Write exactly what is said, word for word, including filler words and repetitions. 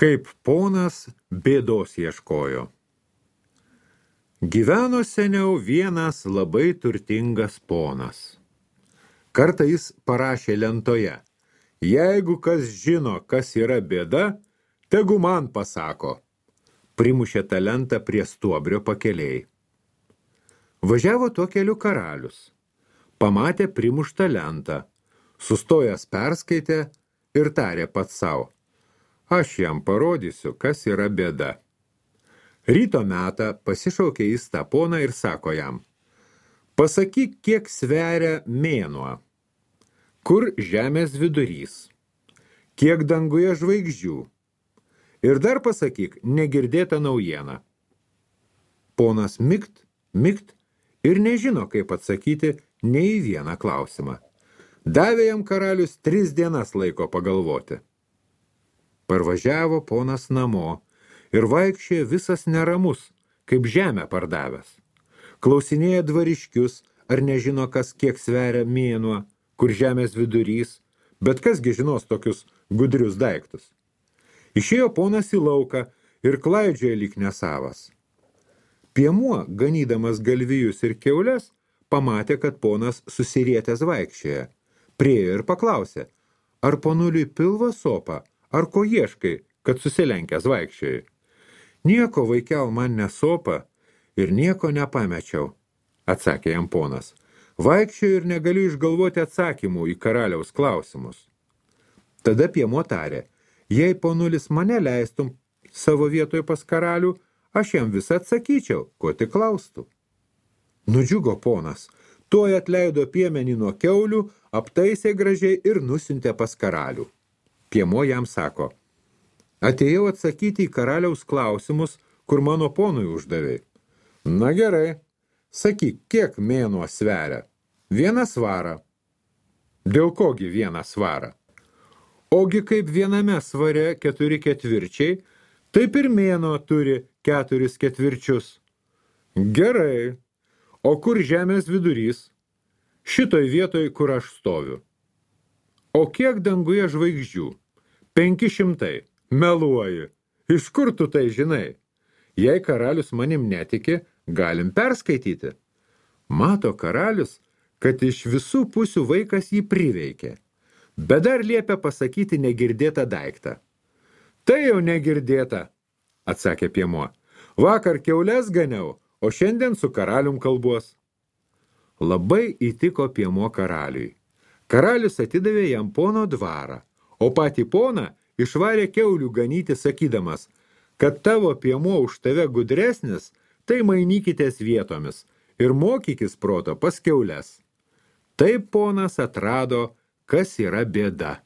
Kaip ponas bėdos ieškojo. Gyveno seniau vienas labai turtingas ponas. Kartą jis parašė lentoje: jeigu kas žino, kas yra bėda, tegu man pasako. Primušė tą lentą prie stuobrio pakelėj. Važiavo tuo keliu karalius. Pamatė primuštą lentą. Sustojęs perskaitė ir tarė pats sau: aš jam parodysiu, kas yra bėda. Ryto metą pasišaukė jis tą poną ir sako jam: pasakyk, kiek sveria mėnuo, kur žemės vidurys, kiek danguje žvaigždžių, ir dar pasakyk negirdėtą naujieną. Ponas mikt, mikt ir nežino, kaip atsakyti nei į vieną klausimą. Davė jam karalius tris dienas laiko pagalvoti. Parvažiavo ponas namo ir vaikščiojo visas neramus, kaip žemę pardavęs. Klausinėja dvariškius, ar nežino, kas kiek sveria mėnuo, kur žemės vidurys, bet kasgi žinos tokius gudrius daiktus. Išėjo ponas į lauką ir klaidžiojo lyg nesavas. Piemuo, ganydamas galvijus ir kiaules, pamatė, kad ponas susirietęs vaikščioja. Priėjo ir paklausė: ar ponuliui pilvą sopa, ar ko ieškai, kad susilenkęs vaikščiojai? Nieko, vaikel, man nesopa ir nieko nepamečiau, atsakė jam ponas. Vaikščioju ir negaliu išgalvoti atsakymų į karaliaus klausimus. Tada piemuo tarė: jei ponulis mane leistum savo vietoje pas karalių, aš jam visą atsakyčiau, ko tik klaustų. Nudžiugo ponas, tuoj atleido piemenį nuo kiaulių, aptaisė gražiai ir nusiuntė pas karalių. Piemuo jam sako: atėjau atsakyti į karaliaus klausimus, kur mano ponui uždavei. Na gerai, sakyk, kiek mėnuo sveria? Vieną svarą. Dėl kogi vieną svarą? Ogi kaip viename svare keturi ketvirčiai, taip ir mėnuo turi keturis ketvirčius. Gerai, o kur žemės vidurys? Šitoj vietoj, kur aš stoviu. O kiek danguje žvaigždžių? Penki šimtai. Meluoji. Iš kur tu tai žinai? Jei karalius manim netiki, galim perskaityti. Mato karalius, kad iš visų pusių vaikas jį priveikė, bet dar liepia pasakyti negirdėtą daiktą. Tai jau negirdėta, atsakė piemuo. Vakar kiaules ganiau, o šiandien su karalium kalbuos. Labai įtiko piemuo karaliui. Karalius atidavė jam pono dvarą, o patį poną išvarė kiaulių ganyti, sakydamas, kad tavo piemuo už tave gudresnis, tai mainykitės vietomis ir mokykis proto pas kiaules. Taip ponas atrado, kas yra bėda.